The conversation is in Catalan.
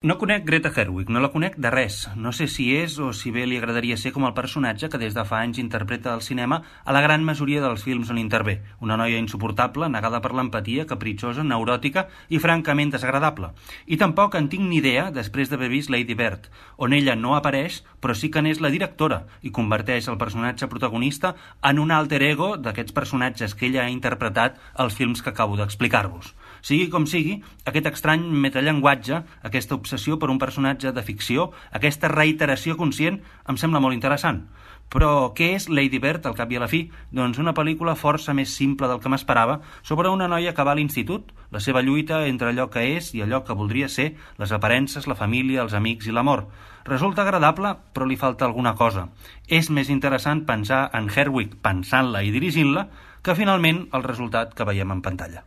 No conec Greta Gerwig, no la conec de res. No sé si és o si bé li agradaria ser com el personatge que des de fa anys interpreta al cinema a la gran majoria dels films on intervé. Una noia insuportable, negada per l'empatia, capritxosa, neuròtica i francament desagradable. I tampoc en tinc ni idea després d'haver vist Lady Bird, on ella no apareix, però sí que n'és la directora i converteix el personatge protagonista en un alter ego d'aquests personatges que ella ha interpretat als films que acabo d'explicar-vos. Sigui com sigui, aquest estrany metallenguatge, aquesta obsessió per un personatge de ficció, aquesta reiteració conscient, em sembla molt interessant. Però què és Lady Bird, al cap i a la fi? Doncs una pel·lícula força més simple del que m'esperava sobre una noia que va a l'institut, la seva lluita entre allò que és i allò que voldria ser, les aparences, la família, els amics i l'amor. Resulta agradable, però li falta alguna cosa. És més interessant pensar en Gerwig pensant-la i dirigint-la que finalment el resultat que veiem en pantalla.